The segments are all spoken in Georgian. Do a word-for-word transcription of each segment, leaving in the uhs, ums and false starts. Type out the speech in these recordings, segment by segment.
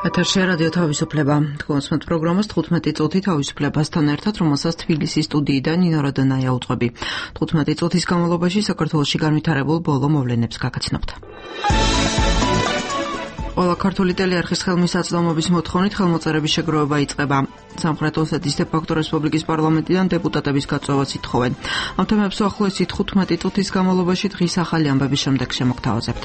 ეთერში რადიო თავისუფლება. თქვენს პროგრამას თხუთმეტი წუთი თავისუფლებასთან ერთად, რომელსაც თბილისის სტუდიიდან ნინო როდონაია უძღვები. თხუთმეტი წუთის განმავლობაში საქართველოში განვითარებულ ბოლო მოვლენებს გაგაცნობთ. ყველა ქართული ტელეარხის ხელმისაწვდომობის მოთხოვნით ხელმოწერების შეგროვება იწყება. სამხრეთ ოსეთის დე-ფაქტო რესპუბლიკის პარლამენტიდან დეპუტატების გაწვევას ითხოვენ. ამ თემებს უახლოესი თხუთმეტი წუთის განმავლობაში დღის ახალი ამბების შემდეგ შემოგთავაზებთ.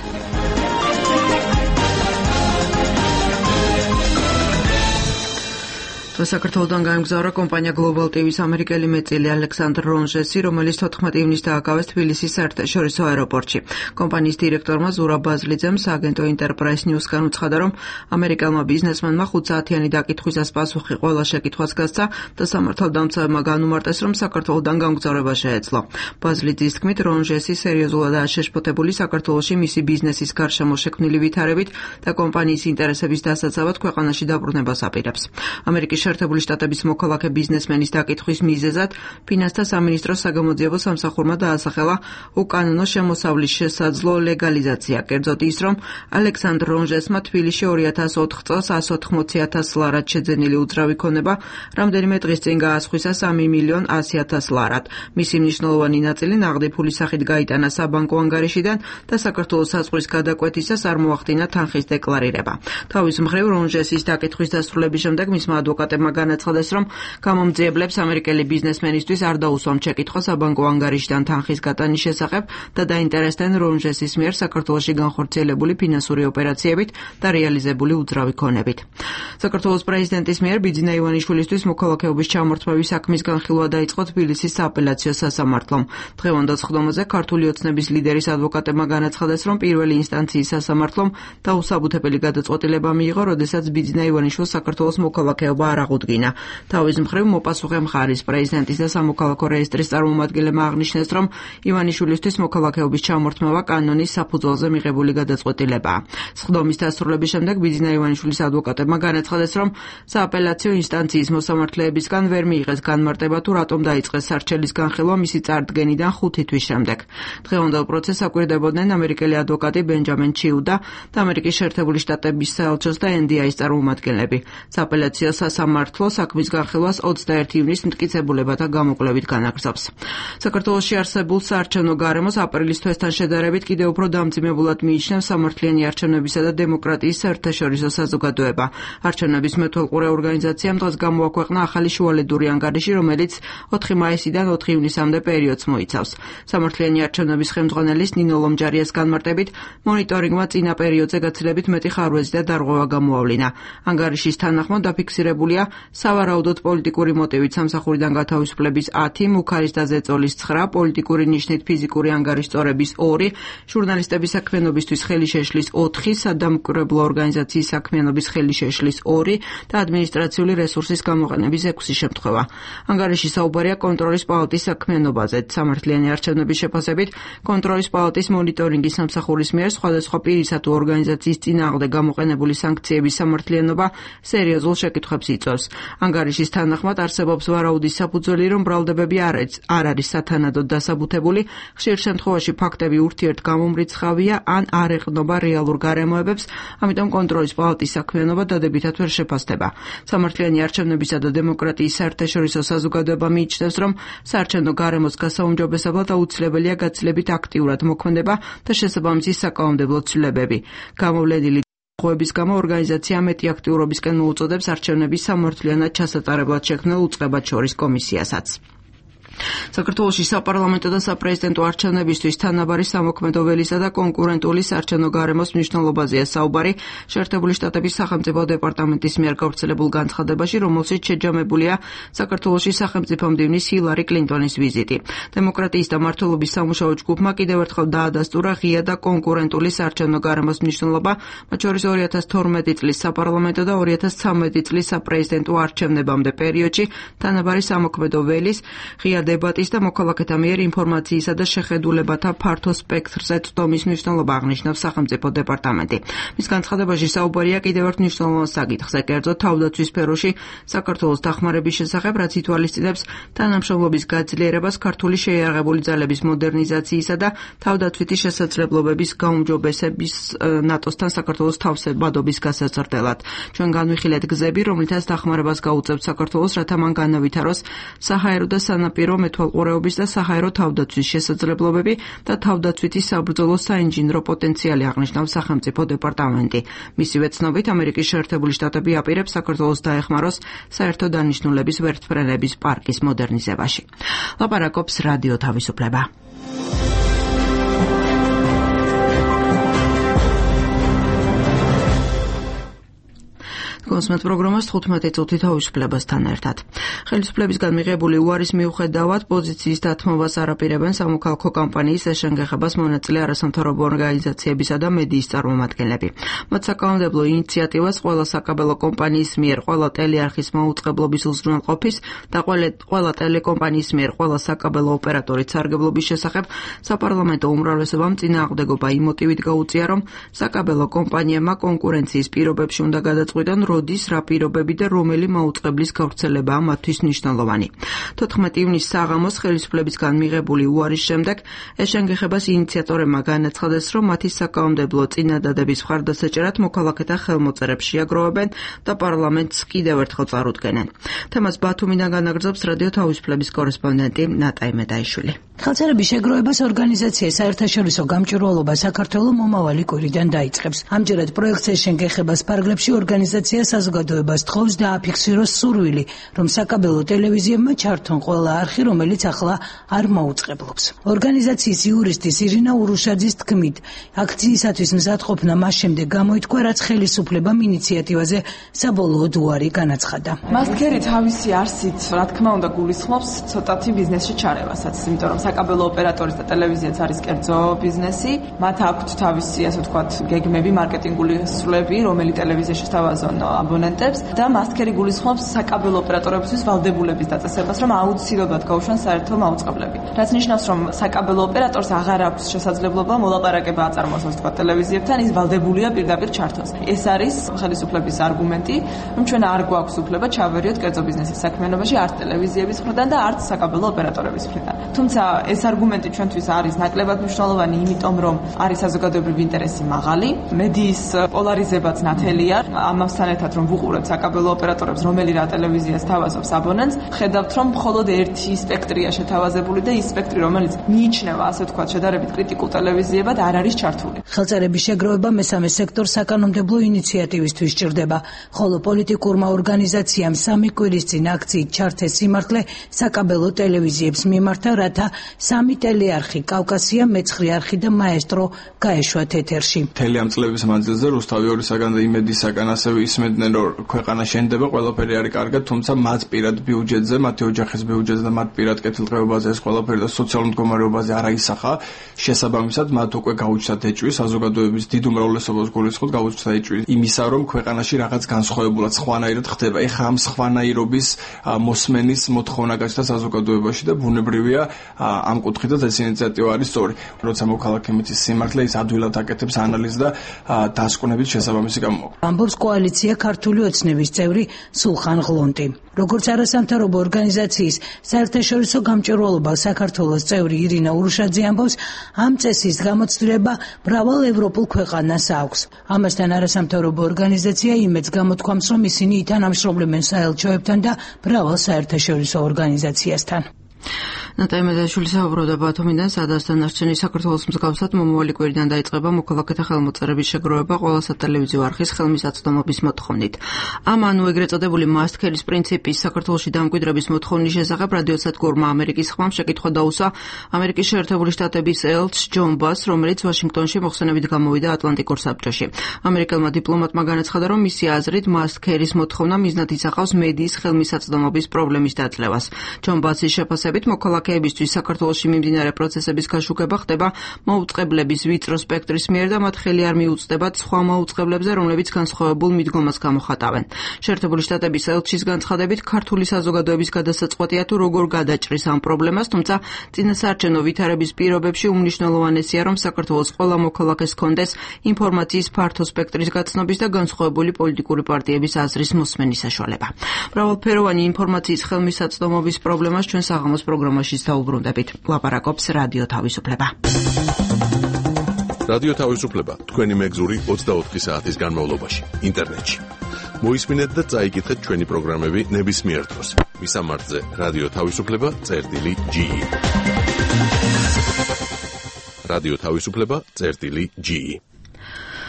საქართველოდან გაემგზავრა კომპანია Global ტივის ამერიკელი მეწილი ალექსანდრ რონჟესი, რომელიც თოთხმეტი ივნისს დააკავეს თბილისის საერთაშორისო აეროპორტში. კომპანიის დირექტორმა ზურაბ ბაზლიძემ სააგენტო ინტერპრაის ნიუსგან უცხადა, რომ ამერიკელმა ბიზნესმენმა ხუთ საათიანი დაკითხვისას პასუხი ყველა შეკითხვას გასცა და სამართალდამცავებმა განუმარტეს, რომ საქართველოდან გამგზავრება შეეძლო. ბაზლიძის თქმით, რონჟესი სერიოზულადაა შეშფოთებული საქართველოში მისი ბიზნესის გარშემო შექმნილი ვითარებით და კომპანიის ინტერესების დასაცავად ქვეყანაში დაბრუნებას აპირებს. ამერიკის შეერთებული შტატების მოქალაქე ბიზნესმენის დაკითხვის მიზეზად ფინანსთა სამინისტროს საგამოძიებო სამსახურმა დაასახელა უკანონო შემოსავლის შესაძლო ლეგალიზაცია. კერძოდ ის, რომ ალექსანდრ რონჟესმა თბილისში ორი ათას ოთხ წელს εκατს ოცდაოთხი ათას ლარად შეძენილი უძრავი ქონება რამდენიმე დღის წინ გაასხვისა სამი მილიონ ასი ათას ლარად. მისი მნიშვნელოვანი ნაწილი ნაღდი ფულის სახით გაიტანა საბანკო ანგარიშიდან და საქართველოს საზღვრის გადაკვეთისას არ მოახდინა თანხის დეკლარირება. თავის მხრივ რონჟესის დაკითხვის დასრულების შემდეგ მისმა ადვოკატ განაცხადეს, რომ გამომძიებლებს ამერიკელი ბიზნესმენისთვის არ დაუსვამთ შეკითხვა საბანკო ანგარიშიდან თანხის გატანის შესახებ და დაინტერესდნენ რონჟესის მიერ საქართველოში განხორციელებული ფინანსური ოპერაციებით და რეალიზებული უძრავი ქონებით. საქართველოს პრეზიდენტის მიერ ბიძინა ივანიშვილისთვის მოქალაქეობის ჩამორთმევის საქმის განხილვა დაიწყო თბილისის სააპელაციო სასამართლომ. დღევანდელ სხდომაზე ქართული ოცნების ლიდერის ადვოკატებმა განაცხადეს, რომ პირველი ინსტანციის სასამართლომ დაუსაბუთებელი გადაწყვეტილება მიიღო, როდესაც ბიძინა ივანიშვილს საქართველოს მოქალაქეობა არ აღუდგინა. თავის მხრივ მოპასუხე მხარის პრეზიდენტის და სამოქალაქო რეესტრის წარმომადგენლებმა აღნიშნეს, რომ ივანიშვილისთვის მოქალაქეობის ჩამორთმევა კანონის საფუძველზე მიღებული გადაწყვეტილებაა. სხდომის დასრულების შემდეგ ბიძინა ივანიშვილის ადვოკატებმა განაცხადეს, რომ სააპელაციო ინსტანციის მოსამართლეებისგან ვერ მიიღეს განმარტება თუ რატომ დაიწყეს სარჩელის განხილვა მისი წარდგენიდან ხუთი თვის შემდეგ. დღევანდელ პროცესს აკვირდებოდნენ ამერიკელი ადვოკატი ბენჯამინ ჩიუდა და ამერიკის შეერთებული შტატების საელჩოს და ენ დი აის წარმომადგენლები. სააპელაციო სასამართლო საქმის განხილვას ოცდაერთი ივნისს მტკიცებულებათა გამოკვლევით განაგრძობს. საქართველოში არსებულ საარჩევნო გარემოს აპრილის თვესთან შედარებით კიდევ უფრო დამძიმებულად მიიჩნევს სამართლიანი არჩევნებისა და დემოკრატიის საერთაშორისო საზოგადოება. არჩევნების მეთვალყურე ორგანიზაციამ დღეს გამოაქვეყნა ახალი შუალედური ანგარიში, რომელიც ოთხი მაისიდან ოთხი ივნისამდე პერიოდს მოიცავს. სამართლიანი არჩევნების ხელმძღვანელის ნინო ლომჯარიას განმარტებით, მონიტორინგმა წინა პერიოდზე გაცილებით მეტი ხარვეზი და დარღვევა გამოავლინა. ანგარიშის თანახმად დაფიქსირებულია სავარაუდოდ პოლიტიკური მოტივით სამსახურიდან გათავისუფლების ათი, მუქარის და ზეწოლის ცხრა, პოლიტიკური ნიშნით ფიზიკური ანგარიშწორების ორი, ჟურნალისტების საქმიანობისთვის ხელი შეშლის ოთხი, სადამკვირვებლო ორგანიზაციის საქმიანობის ხელი შეშლის ორი და ადმინისტრაციული რესურსის გამოყენების ექვსი შემთხვევა. ანგარიში საუბარია კონტროლის პალატის საქმიანობაზე. სამართლიანი არჩევნების შეფასებით კონტროლის პალატის მონიტორინგის სამსახურის მიერ სხვადასხვა პირისა თუ ორგანიზაციის წინააღმდეგ გამოყენებული სანქციების სამართლიანობა სერიოზულ შეკითხვებს იწვევს. ანგარიშის თანახმად არსებობს ვარაუდის საფუძველი, რომ ბრალდებები არ არის სათანადოდ დასაბუთებული, ხშირ შემთხვევაში ფაქტები ურთიერთგამომრიცხავია ან არ ეყრდნობა რეალურ გარემოებებს, ამიტომ კონტროლის პალატის საქმიანობა დადებითად ვერ შეფასდება. სამართლიანი არჩევნებისა და დემოკრატიის საერთაშორისო საზოგადოება მიიჩნევს, რომ საარჩევნო გარემოს გასაუმჯობესებლად აუცილებელია გაცილებით აქტიურად მოქმედება და შესაბამისი საკანონმდებლო ცვლილებები. გამოვლენილი ღვების გამო ორგანიზაცია მეტი აქტიურობისკენ მოუწოდებს არჩევნების სამართლიანად ჩასატარებლად შექმნილ უწყებად შორის კომისიასაც. საქართველოში საპარლამენტო და საპრეზიდენტო არჩევნებისთვის თანაბარი სამოქმედო ველისა და კონკურენტული საარჩევნო გარემოს მნიშვნელობაზეა საუბარი შეერთებული შტატების სახელმწიფო დეპარტამენტის მიერ გავრცელებულ განცხადებაში, რომელშიც შეჯამებულია საქართველოში სახელმწიფო მდივნის ჰილარი კლინტონის ვიზიტი. დემოკრატიის და მართლობის სამუშაო ჯგუფმა კიდევ ერთხელ დაადასტურა ღია და კონკურენტული საარჩევნო გარემოს მნიშვნელობა, მათ შორის ორი ათას თორმეტი წლის საპარლამენტო და ორი ათას ცხრამეტი წლის საპრეზიდენტო არჩევნებამდე პერიოდში თანაბარი სამოქმედო ველის ღია დებატის და მოქალაქეთა მიერ ინფორმაციისა და შეხედულებათა ფართო სპექტრზე წვდომის მნიშვნელობა აღნიშნავს სახელმწიფო დეპარტამენტი. მის განცხადებაში საუბარია კიდევ ერთ მნიშვნელოვან საკითხზე, კერძოდ თავდაცვის სფეროში საქართველოს დახმარების შესახებ, რაც ითვალისწინებს თანამშრომლობის გაძლიერებას ქართული შეიარაღებული ძალების მოდერნიზაციისა და თავდაცვითი შესაძლებლობების გაუმჯობესების ნატოსთან საქართველოს თავსებადობის გასაზრდელად. ჩვენ განვიხილეთ გზები, რომლითაც დახმარებას გაუწევთ საქართველოს, რათა მან განავითაროს საჰაერო და სანაპირო მეთვალყურეობის და საჰაერო თავდაცვის შესაძლებლობები და თავდაცვითი საბრძოლო საინჟინრო პოტენციალი, აღნიშნავს სახელმწიფო დეპარტამენტი. მისივე ცნობით, ამერიკის შეერთებული შტატები აპირებს საქართველოს დაეხმაროს საერთო დანიშნულების ვერტმფრენების პარკის მოდერნიზებაში. ლაპარაკობს რადიო თავისუფლება. კონსმეთ პროგრამას თხუთმეტი წუთი თავისუფლებასთან ერთად. ხელისუფლებისგან მიღებული უარის მიუხედავად პოზიციის დათმობას არ აპირებენ სამოქალაქო კამპანიის ეშენგეხებას მონაწილე არასამთავრობო ორგანიზაციებისა და მედიის წარმომადგენლები. მათ საკანონმდებლო ინიციატივას ყველა საკაბელო კომპანიის მიერ ყველა ტელეარხის მაუწყებლობის უზრუნველყოფის და ყველა ტელეკომპანიის მიერ ყველა საკაბელო ოპერატორის სარგებლობის შესახებ საპარლამენტო უმრავლესობამ წინააღმდეგობა იმ მოტივით გაუწია, რომ საკაბელო კომპანიებმა კონკურენციის პირობებში უნდა გადაწყვიტონ როდის, რა პირობები და რომელი მაუწყებლის გავრცელებაა მათთვის მნიშვნელოვანი. თოთხმეტი ივნისს საღამოს ხელისუფლებისგან მიღებული უარის შემდეგ ეშენგეხებას ინიციატორებმა განაცხადეს, რომ მათი საკანონმდებლო წინადადების მხარდასაჭერად მოქალაქეთა ხელმოწერებს შეაგროვებენ და პარლამენტს კიდევ ერთხელ წარუდგენენ. თემას ბათუმიდან განაგრძობს რადიო თავისუფლების კორესპონდენტი ნატაი მედაიშვილი. ხელმოწერების შეგროვებას ორგანიზაცია საერთაშორისო გამჭვირვალობა საქართველოს მომავალი კვირიდან დაიწყებს. ამჯერად პროექტს ეშენგეხებას ფარგლებში ორგანიზაცია საზოგადოებას თხოვს დააფიქსიროს სურვილი, რომ საკაბელო ტელევიზიებმა ჩართონ ყველა არხი, რომელიც ახლა არ მოუწყებლობს. ორგანიზაციის იურისტის ირინა ურუშაძის თქმით, აქციისათვის მზადყოფნა მას შემდეგ გამოითქვა, რაც ხელისუფლებამ ინიციატივაზე საბოლოოდ უარი განაცხადა. მასქერი თავისი არსით, რა თქმა უნდა, გულისხმობს ცოტათი ბიზნესში ჩარევასაც, იმიტომ რომ საკაბელო ოპერატორის და ტელევიზიაც არის კერძო ბიზნესი, მათ აქვთ თავისი, ასე ვთქვათ, გეგმები, მარკეტინგული სრულები, რომელი ტელევიზიაში თავაზონ აბონენტებს და მასქერი გულისხმობს საკაბელო ოპერატორებისთვის ვალდებულების დაწესებას, რომ აუცილებლად გაუშვან საერთო მაუწყებლები. რაც ნიშნავს, რომ საკაბელო ოპერატორს აღარ აქვს შესაძლებლობა მოლაპარაკება აწარმოოს, ასე ვთქვათ, ტელევიზიებთან, ის ვალდებულია პირდაპირ ჩართოს. ეს არის ხელისუფლების არგუმენტი, რომ ჩვენ არ გვაქვს უფლება ჩავერიოთ კერძო ბიზნესის საქმიანობაში არც ტელევიზიების მხრიდან და არც საკაბელო ოპერატორების მხრიდან. თუმცა ეს არგუმენტი ჩვენთვის არის ნაკლებად მნიშვნელოვანი, იმიტომ რომ არის საზოგადოებრივი ინტერესი მაღალი, მედიის პოლარიზებაც ნათელია, ამასთან ერთად რომ ვუყურებთ საკაბელო ოპერატორებს, რომელი რა ტელევიზიას თავაზობს აბონენტს, ხედავთ რომ მხოლოდ ერთი სპექტრია შეთავაზებული და ის სპექტრი, რომელიც მიიჩნევა, ასე ვთქვათ, შედარებით კრიტიკულ ტელევიზიებად, არ არის ჩართული. ხელწერების შეგროვება მესამე სექტორს საკანონმდებლო ინიციატივისთვის სჭირდება, ხოლო პოლიტიკურმა ორგანიზაციამ სამი კვირის წინ აქციით ჩართეს სიმართლე საკაბელო ტელევიზიებს მიმართა, რათა სამი ტელეარხი, კავკასია, მეცხრე არხი და მაესტრო გაეშვათ ეთერში. მთელი ამ წლების მანძილზე რუსთავი ორისაგან და იმედისაგან ასევე ისმენდნენ, რომ ქვეყანა შენდება, ყველაფერი არის კარგად, თუმცა მათ პირად ბიუჯეტზე, მათი ოჯახის ბიუჯეტზე და მათ პირად კეთილდღეობაზე ეს ყველაფერი და სოციალურ მდგომარეობაზე არ აისახა. შესაბამისად, მათ უკვე გაუჩნდათ ეჭვი, საზოგადოების დიდ უმრავლესობას გულისხმობ გაუჩნდათ ეჭვი იმისა, რომ ქვეყანაში რაღაც განსხვავებულად სხვანაირად ხდება. ეხა ამ სხვანაირობის მოსმენის მოთხოვნა გაჩნდა საზოგადოებაში და ბუნებრივია ამ კუთხითაც ეს ინიციატივა არის სწორი. როცა მოქალაქე მითის სიმართლე, ის ადვილად აკეთებს ანალიზს და დასკვნების შესაბამისი გამოყვა. ამბობს კოალიცია ქართული ოცნების წევრი სულხან ღლონტი. როგორც არასამთავრობო ორგანიზაციის საერთაშორისო გამჭვირვალობა საქართველოს წევრი ირინა ურუშაძე ამბობს, ამ წესის გამოცდილება მრავალ ევროპულ ქვეყანას აქვს. ამასთან არასამთავრობო ორგანიზაცია იმედს გამოთქვამს, რომ ისინი ითანამშრომლებენ საელჩოებთან და მრავალ საერთაშორისო ორგანიზაციასთან. ნატაი მედაიშვილი საუბრობდა ბათუმიდან, სადაც დანარჩენი საქართველოს მსგავსად მომავალი კვირიდან დაიწყება მოქალაქეთა ხელმოწერების შეგროვება ყველა სატელევიზიო არხის ხელმისაწვდომობის მოთხოვნით. ამ ანუ ეგრეთ წოდებული მასქერის პრინციპის საქართველოში დამკვიდრების მოთხოვნის შესახებ რადიოსადგურმა ამერიკის ხმამ შეკითხვა დაუსვა ამერიკის შეერთებული შტატების ელჩ ჯონ ბას, რომელიც ვაშინგტონში მოხსენებით გამოვიდა ატლანტიკურ საბჭოში. ამერიკელმა დიპლომატმა განაცხადა, რომ მისი აზრით მასქერის მოთხოვნა მიზნად ისახავს მედიის ხელმისაწვდომობის პრობლემის დაძლევას. ჯონ ბასის შეფასებით მოქალაქე მოქალაქეებისთვის საქართველოში მიმდინარე პროცესების გაშუქება ხდება მაუწყებლების ვიწრო სპექტრის მიერ და მათ ხელი არ მიუწვდებათ სხვა მაუწყებლებზე, რომლებიც განსხვავებულ მიდგომას გამოხატავენ. შეერთებული შტატების ელჩის განცხადებით, ქართული საზოგადოების გადასაწყვეტია თუ როგორ გადაჭრის ამ პრობლემას, თუმცა წინასაარჩევნო ვითარების პირობებში უმნიშვნელოვანესია, რომ საქართველოს ყველა მოქალაქეს ჰქონდეს ინფორმაციის ფართო სპექტრის გაცნობის და განსხვავებული პოლიტიკური პარტიების აზრის მოსმენის საშუალება. მრავალფეროვანი ინფორმაციის ხელმისაწვდომობის პრობლემას ჩვენ საღამოს პროგრამაში დაუბრუნდებით. ლაპარაკობს რადიო თავისუფლება. რადიო თავისუფლება თქვენი მეგზური ოცდაოთხი საათის განმავლობაში ინტერნეტში. მოისმინეთ და წაიკითხეთ ჩვენი პროგრამები ნებისმიერ დროს. მისამართზე რადიო თავისუფლება წერტილი ჯი. რადიო თავისუფლება წერტილი ჯი.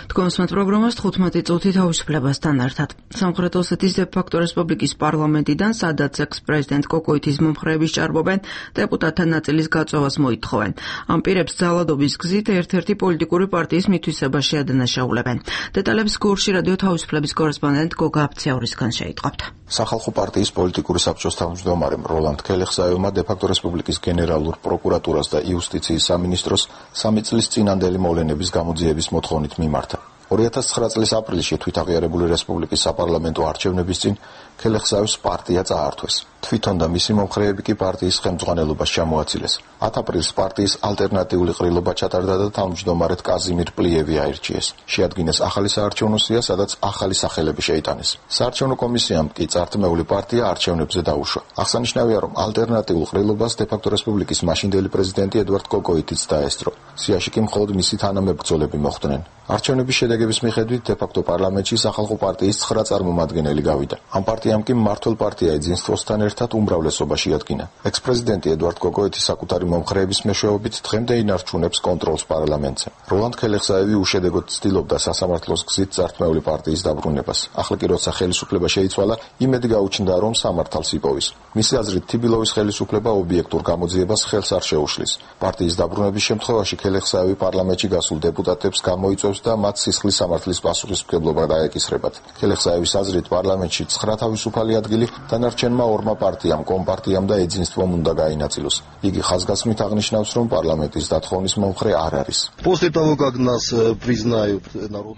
თქვენსმათ პროგრამას თხუთმეტი წუთი თავისუფლებასთან ერთად. სამხრეთ ოსეთის დე-ფაქტო რესპუბლიკის პარლამენტიდან, სადაც ექს-პრეზიდენტ კოკოითის მომხრეების ჭარბობენ, დეპუტატთა ნაწილის გაწვევას მოითხოვენ. ამ პირებს ძალადობის გზით ერთ-ერთი პოლიტიკური პარტიის მითვისება შეადანაშაულებენ. დეტალებს გურში რადიო თავისუფლების კორესპონდენტ გოგა აფციაურისგან შეიტყობთ. სახალხო პარტიის პოლიტიკური საბჭოს თავმჯდომარემ როლანდ ქელეხსაევმა დე-ფაქტო რესპუბლიკის გენერალურ პროკურატურას და იუსტიციის სამინისტროს სამი წლის წინანდელი მოვლენების გამოძიების მოთხოვნით მიმართა. ორი ათას ცხრა წლის აპრილში თვითაღიარებული რესპუბლიკის საპარლამენტო არჩევნების წინ ქელეხსაევს პარტია წაართვეს. თვითონ და მისი მომხრეები კი პარტიის ხელმძღვანელობას ჩამოაცილეს. ათ აპრილს პარტიის ალტერნატიული ყრილობა ჩატარდა და თავმჯდომარედ კაზიმირ პლიევი აირჩიეს. შეადგინეს ახალი საარჩევნო სია, სადაც ახალი სახელები შეიტანეს. საარჩევნო კომისიამ კი წართმეული პარტია არჩევნებზე დაუშვა. აღსანიშნავია, რომ ალტერნატიულ ყრილობას დე-ფაქტო რესპუბლიკის მაშინდელი პრეზიდენტი ედვარდ კოკოითიც დაესწრო. სიაში კი მხოლოდ მისი თანამებრძოლები მოხვდნენ. არჩევნების შედეგების მიხედვით დე-ფაქტო პარლამენტში სახალხო პარტიის ცხრა წარმომადგენელი გავიდა. ამ პარტიამ კი მმართველ პარტია ეძინსტვოსთან ერთად უმრავლესობა შეადგინა. ექს-პრეზიდენტი ედვარდ კოკოეთი საკუთარი მომხრეების მეშვეობით დღემდე ინარჩუნებს კონტროლს პარლამენტზე. როლანდ ქელეხსაევი უშედეგოდ ცდილობდა სასამართლოს გზით წართმეული პარტიის დაბრუნებას. ახლა კი როცა ხელისუფლება შეიცვალა, იმედი გაუჩნდა, რომ სამართალს იპოვის. მისი აზრით, თიბილოვის ხელისუფლება ობიექტურ გამოძიებას ხელს არ შეუშლის. პარტიის დაბრუნების შემთხვევაში ქელეხსაევი პარლამენტში გასულ დეპუტატებს გამოიწვევს და მათ სისხლის სამართლის პასუხისმგებლობა დაეკისრებათ. ქელეხსაევის აზრით, პარლამენტში ცხრა თავისუფალი ადგილი დანარჩენმა ორმა პარტიამ, კომპარტიამ და ეძინსტვომ უნდა გაინაწილოს. იგი ხაზგასმით აღნიშნავს, რომ პარლამენტის დათხოვნის მომხრე არ არის.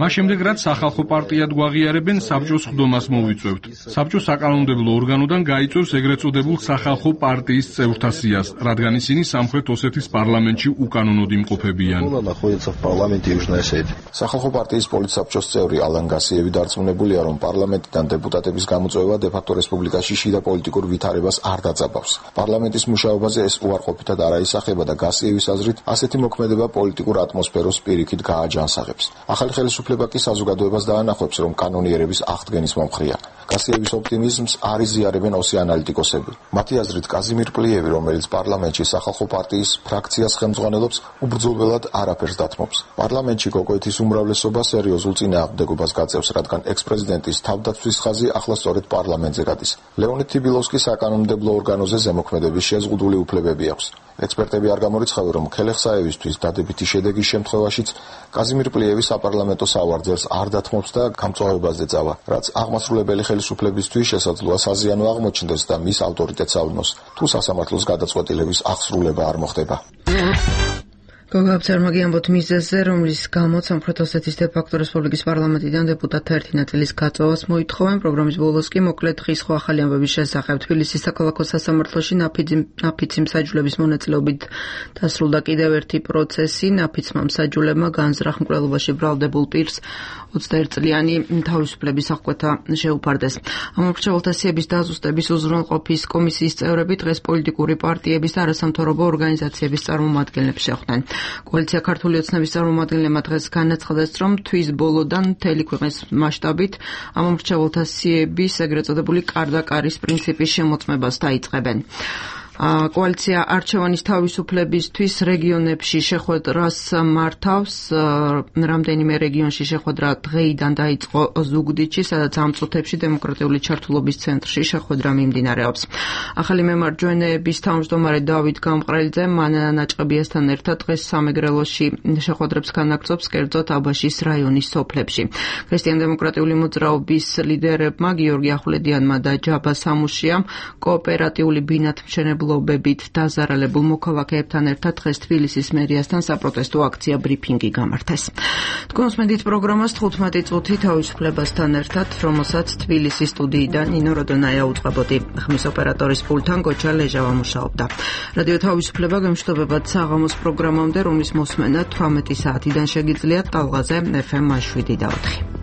მას შემდეგ, რაც სახალხო პარტიად გვაღიარებენ, საბჭოს ხდომას მოვიწვევთ. საბჭო საკანონმდებლო ორგანოდან გაიწვევს ეგრეთ წოდებულ სახალხო პარტიის წევრთა სიას, რადგან ისინი სამხრეთ ოსეთის პარლამენტში უკანონოდ იმყოფებიან. სახალხო პარტიის პოლიტსაბჭოს წევრი ალან გასიევი დარწმუნებულია, რომ პარლამენტიდან დეპუტატების გამოწვევა დე-ფაქტო რესპუბლიკაში შიდა პოლიტიკურ ვითარებას არ დაძაბავს. პარლამენტის მუშაობაზე ეს უარყოფითად არ აისახება და გასიევის აზრით, ასეთი მოქმედება პოლიტიკურ ატმოსფეროს პირიქით გააჯანსაღებს. ახალი ხელისუფლება კი საზოგადოებას დაანახავს, რომ კანონიერების აღდგენის მომხრეა. გასიევის ოპტიმიზმს არ იზიარებენ ოსი ანალიტიკოსები. მათი აზრით, კაზიმირ პლიევი, რომელიც პარლამენტში სახალხო პარტიის ფრაქციას ხელმძღვანელობს, უბრძოლველად არაფერს დათმობს. პარლამენტში კოკოეთის უმრავლესობა სერიოზულ წინააღმდეგობას გაწევს, რადგან ექს-პრეზიდენტის თავდაცვის ხაზი ახლა სწორედ პარლამენტზე გადის. ლეონიდ თიბილოვსკი საკანონმდებლო ორგანოზე ზემოქმედების შეზღუდული უფლებები აქვს. ექსპერტები არ გამორიცხავენ, რომ ქელეხსაევისთვის დადებითი შედეგის შემთხვევაშიც კაზიმირ პლიევი საპარლამენტო სავარძელს არ დათმობს და გამწვავებაზე წავა, რაც აღმასრულებელი ხელისუფლებისთვის შესაძლოა საზიანო აღმოჩნდეს და მის ავტორიტეტს ავნოს, თუ სასამართლოს გადაწყვეტილების აღსრულება არ მოხდება. გოგაბცერმა გიამბოთ მიზეზზე, რომლის გამოც სამხრეთ ოსეთის დე-ფაქტო რესპუბლიკის პარლამენტიდან დეპუტატთა ერთი ნაწილის გაწვევას მოითხოვენ. პროგრამის ბოლოს კი მოკლედ ხის სხვა ახალი ამბების შესახებ თბილისის საქალაქო სასამართლოში ნაფიცი მსაჯულების მონაწილეობით დასრულდა კიდევ ერთი პროცესი. ნაფიცმა მსაჯულებმა განზრახ მკვლელობაში ბრალდებულ პირს ოცდაერთი წლიანი თავისუფლების აღკვეთა შეუფარდეს. ამ მრჩეველთა სიების დაზუსტების უზრუნველყოფის კომისიის წევრები დღეს პოლიტიკური პარტიების და არასამთავრობო ორგანიზაციების წარმომადგენლებს შეხვდნენ. კოალიცია ქართული ოცნების წარმომადგენლებმა დღეს განაცხადეს, რომ თვის ბოლოდან მთელი ქვეყნის მასშტაბით ამ მრჩეველთა სიების ეგრეთ წოდებული კარდაკარის პრინციპის შემოწმებას დაიწყებენ. კოალიცია არჩევანის თავისუფლებისთვის რეგიონებში შეხვედრას მართავს. რამდენიმე რეგიონში შეხვედრა დღეიდან დაიწყო ზუგდიდში, სადაც ამ წუთებში დემოკრატიული ჩართულობის ცენტრში შეხვედრა მიმდინარეობს. ახალი მემარჯვენეების თავმჯდომარე დავით გამყრელიძე მანანა ნაჭყებიასთან ერთად დღეს სამეგრელოში შეხვედრებს განაგრძობს, კერძოდ აბაშის რაიონის სოფლებში. ქრისტიან-დემოკრატიული მოძრაობის ლიდერებმა გიორგი ახვლედიანმა და ჯაბა სამუშიამ კოოპერატიული ბინათმშენებლობის მფარველობებით დაზარალებულ მოქალაქეებთან ერთად დღეს თბილისის მერიასთან საპროტესტო აქცია ბრიფინგი გამართეს. თქვენს მედით პროგრამას თხუთმეტი წუთი თავისუფლებასთან ერთად, რომელსაც თბილისის სტუდიიდან ნინო როდონაია უწყებოდი. ხმის ოპერატორის პულტთან გოჩა ლეჟავა მუშაობდა. რადიო თავისუფლება გემშვიდობებად საღამოს პროგრამამდე, რომლის მოსმენა თვრამეტი საათიდან შეგიძლიათ ტალღაზე ეფ ემ შვიდი და ოთხი.